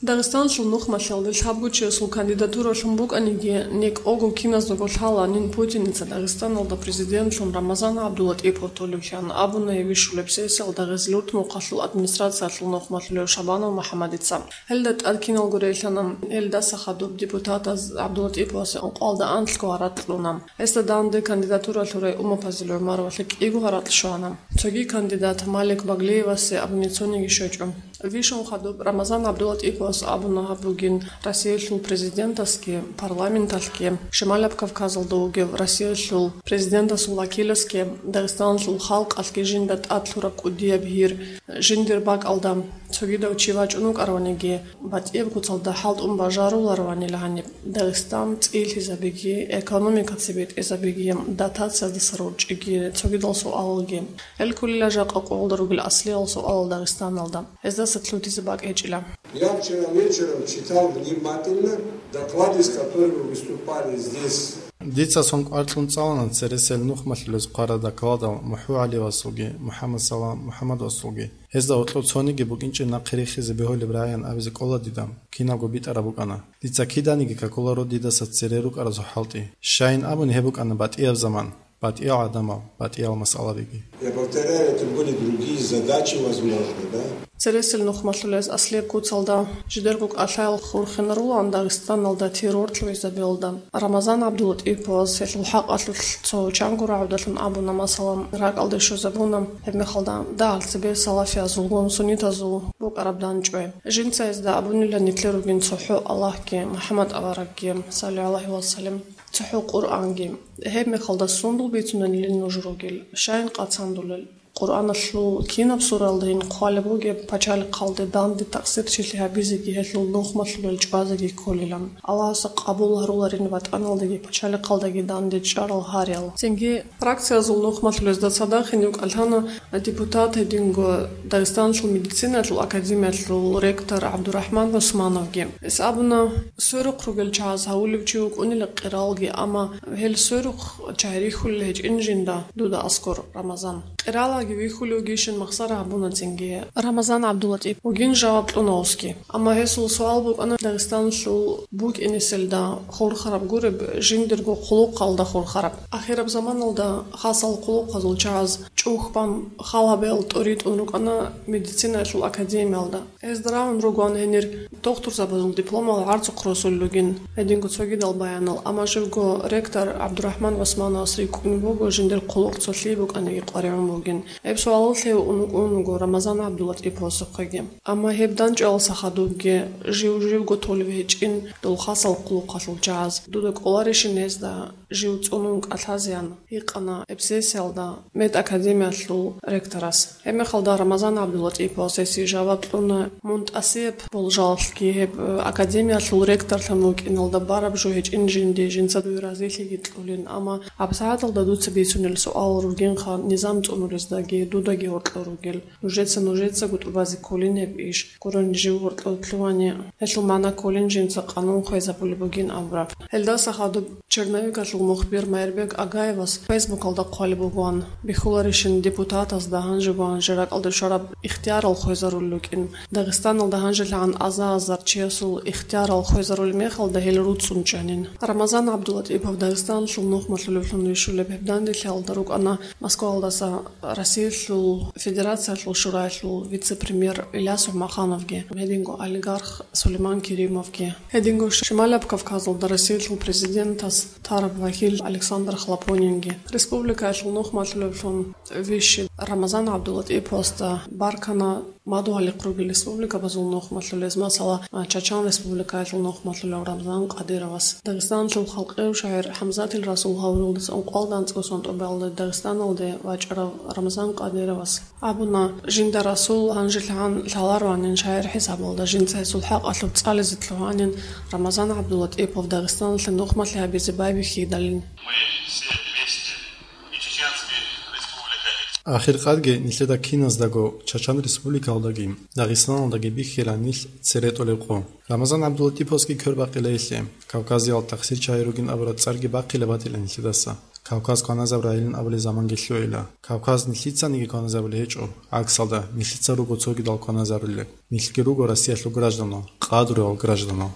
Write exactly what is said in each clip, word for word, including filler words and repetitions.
Дагъистанлъул нухмалъалде лъабго чиясул кандидатура лъун букӀаниги, некӀого киназдаго лъаланин Путиница Дагъистаналда президентлъун Рамазан ГӀабдулатӀипов толевлъан абуна гьеб бищулеб сессиялда Гъезлъурт мухъалъул администрациялъул нухмалъулев Шабанов МухӀаммадица. Гьелда тӀад киналго релълъана, гьелдаса хадуб депутатаз ГӀабдулатӀиповасе ункъоялда анлъго гьаракь кьуна. Гьесда данде кандидатура лъурай Умапазил ГӀумаровалъе кӀиго гьаракь щвана. Цоги кандидат Малик Баглиевасе абуни цониги щвечӀо. Вищун хадуб Рамазан ГӀабдулатӀиповас абуна гьаб бугин Россиялъул президентасги, парламенталъги, Шималаб Кавказалда вугев Россиялъул президентасул вакиласги, Дагъистаналъул халкъалъги жинда тӀад лъураб кӀудияб гьир, жиндир бакӀалда цогидав чи вачӀун вукӀараваниги, батӀияб куцалда хӀалтӀун бажарулараванила гьаниб Дагъистан цӀилъизабиги, экономика цебетӀезабиги, дотацияздаса рорчӀиги, цогидал суалалги. Гьел кколила жакъа къоялда ругел аслиял суалал Дагъистаналда. Гьездаса лъутизе бакӀ гьечӀила. Я вчера вечером читал внимательно доклад, из которого выступали здесь. Дица сон кӀвар кьун цӀалана цересел нухмалъулез хъварал докладал МухӀу ГӀалиевасулги, МухӀаммад Салам МухӀаммадовасулги. Гьезда гьоркьов цониги букӀинчӀеб нахъе рихизе бегьулеб рагӀиян абизе кӀола дида, кинабго битӀараб букӀана. Дица киданиги какуларо дидаса цере рукӀаразул хӀалтӀи. Щайин абуни гьеб букӀана батӀияб заман, батӀиял гӀадамал, батӀиял масъалабиги. Я повторяю, это были другие задачи, возможно, да? Цересел нухмалъулез аслияб куцалда жидерго кӀалъаял хурхинарулаан Дагъистаналда террор лъугӀизабиялда. Рамазан ГӀабдулатӀиповас гьелъул хӀакъалъулъ цо чанго рагӀудалъун абуна, масала, ракӀалде щвезабуна, гьебмехалда дагьал цебе салафиязулгун суннитазул букӀараб данчӀвай. Жинца гьезда абунила нилъер ругин цохӀо Аллагьги, МухӀаммад аварагги, саллаллагьу гӀалайгьи ва саллам, цохӀо Къуръанги. Гьебмехалда сундул бицунанилин нуж ругел, щайин къацандулел? Къуръаналъул кинаб суралдайин хъвалеб бугеб пачалихъалде данде такъсирчилъи гьабизеги гьелъул нухмалъулел чӀвазеги кколилан. Аллагьас къабул гьаруларин ватӀаналдаги пачалихъалдаги данде чӀарал гьариял. Цинги фракциязул нухмалъулезда цадахъ гьенив кӀалъана депутат гьединго Дагъистаналъул медицинаялъул академиялъул ректор ГӀабдурахӀман ГӀусмановги. Гьес абуна, сверухъ ругел чагӀаз гьавулев чи вукӀунила къиралги, амма гьел сверухъ чагӀи рихьулел гьечӀин жинда дуда аскӀор, Рамазан. Къиралаги вихьулев вугищин махсара гьабуна цинги Рамазан ГӀабдулатӀип вугин жаваб кьуна гьесги. Амма гьесул суал букӀана Дагъистаналъул букӀинеселда хурхараб гуреб, жиндирго хъулухъалда хурхараб. Ахираб заманалда хасал хъулухъазул чагӀаз чӀухь бан хал гьабиялда тӀоритӀун рукӀана медицинаялъул академиялда. Гьезда рагӀун ругоан гьенир дохтурзабазул дипломал гӀарцухъ росулел ругин, гьединго цогидал баянал, амма живго ректор ГӀабдурахӀман ГӀусмановас рикӀкӀун буго, жиндир хъулухъ цолъи букӀаниги къваригӀун бугин. Гьеб суалал лъев ун вукӀун вуго Рамазан ГӀабдулатӀиповасухъеги. Амма гьеб данчӀвалдаса хадубги жив-живго толев гьечӀин дол хасал хъулухъалъул чагӀаз. Дуда кӀоларищин гьезда жив цӀунун кӀалъазеян, гьикъана гьеб сессиялда медакадемиялъул ректорас. Гьебмехалда Рамазан ГӀабдулатӀиповас гьесие жаваб кьуна, мун тӀасияб болжалалъги гьеб, э, академиялъул ректорлъун вукӀиналда бараб жо гьечӀин жинди, жинца дуе разилъиги кьулин, амма гьабсагӀаталда дуца бицунел суал ругинха низам цӀунулездаги дудаги гьоркьор ругел. Нужеца, нужецаго тӀубазе кколин гьеб иш. Гурони жив гьоркьов лъугьани, гьелъул магӀна кколин жинца къанун хвезабулеб бугин абураб. Гьелдаса хадуб Черновикалъул мухбир Майрбек Агаевас Фейсбукалда хъвалеб бугоан, бихьуларищин депутатазда гьанжеб ва гьанже ракӀалде щвараб ихтиярал хвезарулел рукӀин. Дагъистаналда гьанжелъагӀан аза-азар чиясул ихтиярал хвезарулеб мехалда гьел руцӀцӀун чӀанин. Рамазан ГӀабдулатӀипов Дагъистаналъул нухмалъулевлъун вищулеб гьеб данделъиялда рукӀана Москваялдаса Россиялъул Федерациялъул Шураялъул вице-премьер Иляс ГӀумахановги, гьединго олигарх Сулейман Керимовги, гьединго Шималаб Кавказалда Россиялъул президентас тараб вакил Александр Хлопонинги. Республикаялъул нухмалъулевлъун вищи Рамазан ГӀабдулатӀиповасда баркана мадугьалихъ ругел республикабазул нухмалъулез, масала, Чачан Республикаялъул нухмалъулев Рамзан Къадировас. Дагъистаналъул халкъияв шагьир ХӀамзатил Расул гьавуралдаса ункъоялда анцӀго сон тӀубалда Дагъистаналде вачӀарав Рамзан Къадировас абуна, жинда Расул гьанжелъагӀан лъалароанин шагьир хӀисабалда, жинца гьесул хӀакъалъулъ цӀализе лъугьанин Рамазан ГӀабдулатӀипов Дагъистаналъе нухмалъи гьабизе байбихьидалин. Ахиркъадги нилъеда киназдаго Чачан Республикалдаги Дагъистаналдаги бихьила нилъ цере тӀолеб къо. Рамазан ГӀабдулатӀиповасги квербакъила гьелъе, Кавказиял тахсир чагӀи ругин абураб цӀарги бахъила батила нилъедаса. Кавказ кваназабурайилан абулеб заманги лъугӀила. Кавказ нилъицаниги кваназабулеб гьечӀо, гӀаксалда, нилъица руго цогидал кваназарулел. Нилъги руго Россиялъул гражданал, къадру гражданал.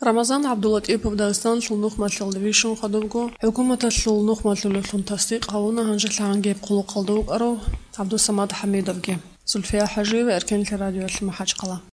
Рамазан ГӀабдуллатӀипов Дагъистаналъул нухмалъилде вищун хадубго, хӀукуматалъул нухмалъулевлъун тасдикъ гьавуна гьанжелъагӀан гьеб хъулухъалда вукӀарав ГӀабдусамад ХӀамидовги. Зульфия ХӀажиева, Эркенлъи радиоялъ, МахӀачхъала.